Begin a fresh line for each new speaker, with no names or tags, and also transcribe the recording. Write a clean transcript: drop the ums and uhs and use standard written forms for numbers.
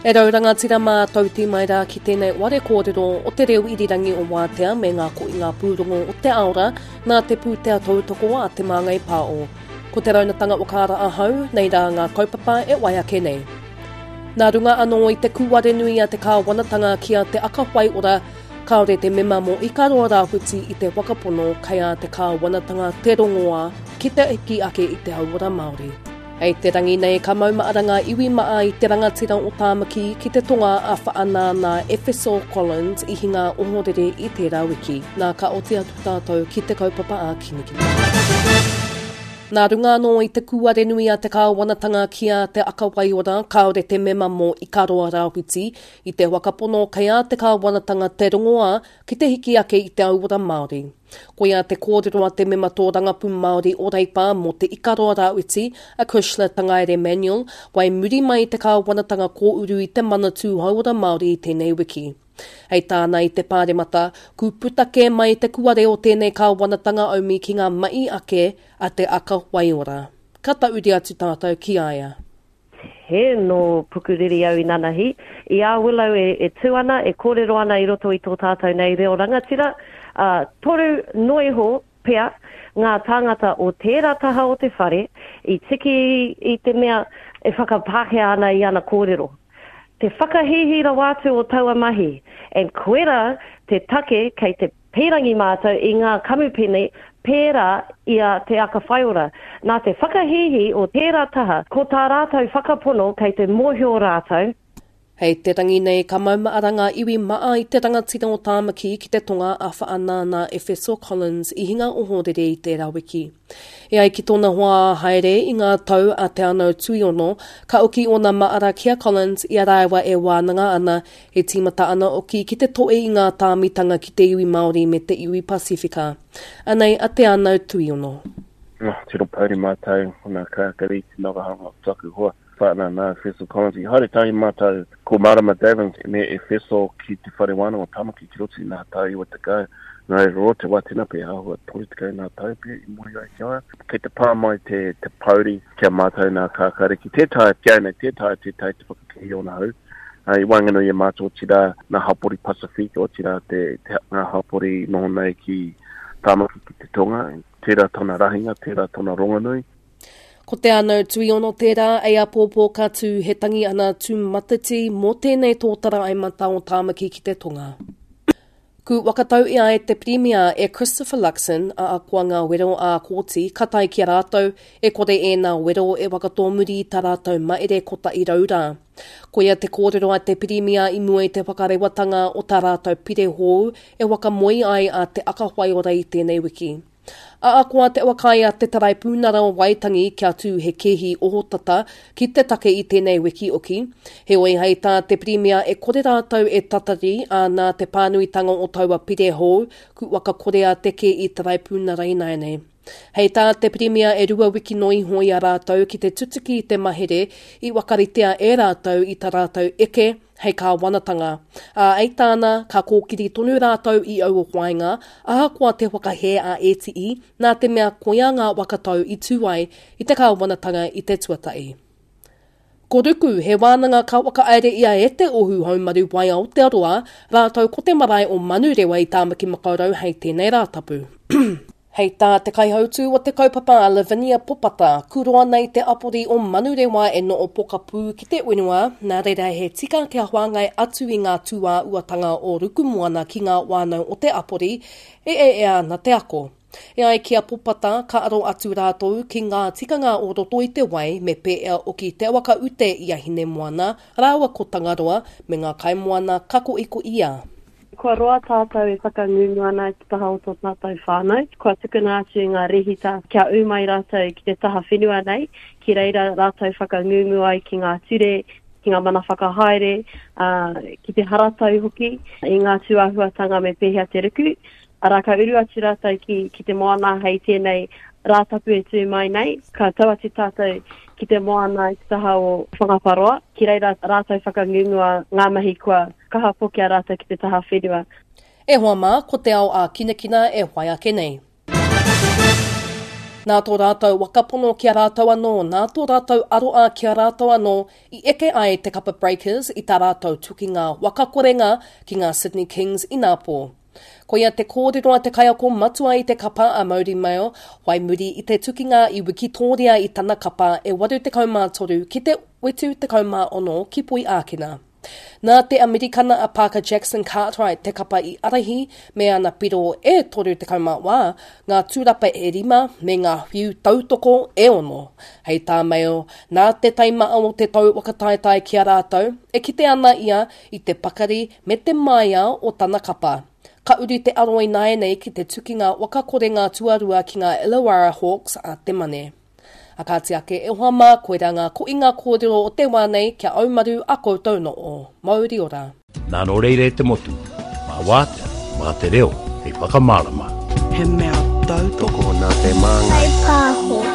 E rau rangatira mā tauti mai rā ki tēnei ware kōrero o te reo irirangi o Wātea me ngā koinga pūrongo o te aora nā te pūtea tautoko a Te Māngai Pāo. Ko te raunatanga o Kāra Ahau, nei rā ngā kaupapa e wai ake nei. Nā runga anō i te kūare nui a te kāwanatanga ki a Te Aka Whaiora, kāore te mema mō Ikaroa Rāwhiti i te whakapono kei a te kāwanatanga te rongoā ki te hiki ake i te hauora Māori. Hei te rangi nei ka maumahara ngā iwi maa i te rangatira o Tāmaki ki te tonga a Whaanana Efeso Collins i hinga ohorere i tērā wiki. Nā ka oti atu tātou ki te kaupapa a Kinikini. Nā runga anō i te kūare nui a te kāwanatanga ki a Te Aka Waiora, kāore te mema mō Ikaroa Rāwhiti i te whakapono kei a te kāwanatanga te rongoā ki te hiki ake i te auora Māori. Koia te kōrero a te mema tōrangapū Māori o Reipa mō Te Ikaroa Rāwhiti, a Cushla Tangaere Manuel, whai muri mai i te kāwanatanga kōuru i te Manatū Hauora Māori i tēnei wiki. Hei tāna i te Pāremata, ku puta kē mai te kuare o tēnei kāwanatanga aumi ki ngā mahi ake a Te Aka Waiora. Ka tauri atu tātou ki a ia.
He nō Pukuriri au inanahi. I a Willow e, e tū ana, e kōrero ana i roto i tō tātou nei reo rangatira, ā, toru noa iho pea ngā tāngata o tērā taha o te whare i tiki i te mea e whakapākehā ana i ana kōrero. Te whakahīhī rawa atu o taua mahi, and koirā te take kei te Pīrangi mātou i ngā kamupene pērā i a Te Aka Whaiora. Nā te whakahīhī o tērā taha, ko tā rātou whakapono kei te mōhio rātou.
Hei te rangi nei ka maumahara ngā iwi maa i te rangatira o Tāmaki ki te tonga a Whaanana Efeso Collins i hinga ohorere i tērā wiki. E ai ki tōna hoa ā-haere i ngā tau a Te Anau Tuiono, ka oki ōna maara ki a Collins i a rāua e wānanga ana E tīmata ana oki ki te toe i ngā tāmitanga ki te iwi Māori me te iwi Pasifika. Anei a Te Anau Tuiono.
Oh, tino pouri mātou, nā Kākari, te nagahanga o taku hoa, whānau nā Efeso Collins. I haere tahi mātou ko Marama Davins me Efeso ki te whare wānanga o Tamaki ki roto i nā tau 90. Nā reira roa te wā tēnā pea āhua 30 nā tau pea i moe ai ki a ia. Kei te pā mai te, te pouri ki a mātou nā Kākāriki. Tē taea ki au nei, tē taea tē taea te whakakī i ōna hau. I waenganui i a mātou, otirā ngā hapori Pasifika, otirā te, te, ngā hapori noho nei ki Tāmaki ki te tonga. Tērā tōna rahinga, tērā tōna rongonui.
Ko Te Anau Tuiono tērā, ei apōpō ka tū he tangi ana tūmatiti mō tēnei tōtara ai mata o Tāmaki ki te tonga. Ku whakatau i ai te Pirimia e Christopher Luxon, a akoa ngā wero ā kōti ka tae ki a rātou, e kore ēnā wero e whakatōmuri i tā rātou maere kotahi rau rā. Koia te kōrero a te Pirimia i mua i te whakarewatanga o tā rātou pire hou e whakamoe ai a Te Aka Whaiora i tēnei wiki. Ahakoa te whakaae a te Taraipunara o Waitangi kia tū he kēhi ohotata ki te take i tēnei wiki oki, heoi hei tā te Pirimia e kore rātou e tatari, ā, nā te pānuitanga o taua pire hou, ku whakakorea te kēhi Taraipunara ināianei. Hei tā te Pirimia e rua wiki noa iho i a rātou ki te tutuki i te mahere i whakaritea e rātou i tā rātou eke hei kāwanatanga. Ā, hei tāna, ka kōkiri tonu rātou i aua whāinga, ahakoa te whakahē a ētihi, nā te mea koia ngā whakatau i tū ai i te kāwanatanga i te tuatahi. Ko Ruku, he wānanga ka whakahaere ia e Te Ohu Haumaru Wai Aotearoa, rātou ko te marae o Manurewa i Tāmaki Makaurau hei tēnei Rātapu. Hei tā te kaihautū o te kaupapa a Lavinia Popata, kuroa nei te apori o Manurewa e noho pokapū ki te whenua, nā reira he tika kia whāngai atu i ngā tūāuatanga o Rukumoana ki ngā whānau o te apori e ea ana te ako. E ai ki a Popata, ka aro atu rātou ki ngā tikanga o roto i te wai me pēea oki te whakaute i a Hinemoana rāua ko Tangaroa me ngā kaimoana ka koʻikoʻi a.
Kua roa tātou e whakangungu ana i te taha o tō tātou whānau. Kua tukuna atu i ngā rehita kia ū mai rātou ki te taha whenua nei, ki reira rātou whakangungu ai ki ngā ture, ki ngā mana whakahaere, ā, ki te haratau hoki i ngā tūāhuatanga me pēhea te ruku. Arā, ka uru atu rātou ki, ki te moana hei tēnei Rātapu e tū mai nei, ka tau atu tātou ki te moana i te taha o Whangaparōa, ki reira rātou whakangungua ngā mahi kua kaha pokea rātou ki te taha whenua.
E hoa mā, ko te ao ā-kinakina e whai ake nei. Nā tō rātou whakapono ki a rātou anō, nā tō rātou aroā ki a rātou anō i eke ai te kapa Breakers i tā rātou tukinga whakakorenga ki ngā Sydney Kings inapō. Koia te kōrero a te kaiako matua i te kapa a Mauri Mail, whai muri i te tukinga i wikitōria i tana kapa e 83 ki te 76 ki Poiākena. Nā te Amerikana a Parker Jackson Cartwright te kapa i arahi me ana piro e 34, ngā tūrapa e rima me ngā whiu tautoko e ono. Hei tā Mail, nā te taimaa o te tau whakataetae ki a rātou, e kite ana ia i te pakari me te māia o tana kapa. Ka uru te aro ināianei ki te tukinga whakakorenga tuarua ki ngā Illawarra Hawks a te Mane. A kāti ake e hoa mā, koirā ngā koinga kōrero o te wā nei kia aumaru a koutou noo. Mauri ora.
Nā nō reira e te motu, mā wātea, mā te reo hei whakamārama.
He mea tautoko
nā te māngai.
Whai pāho.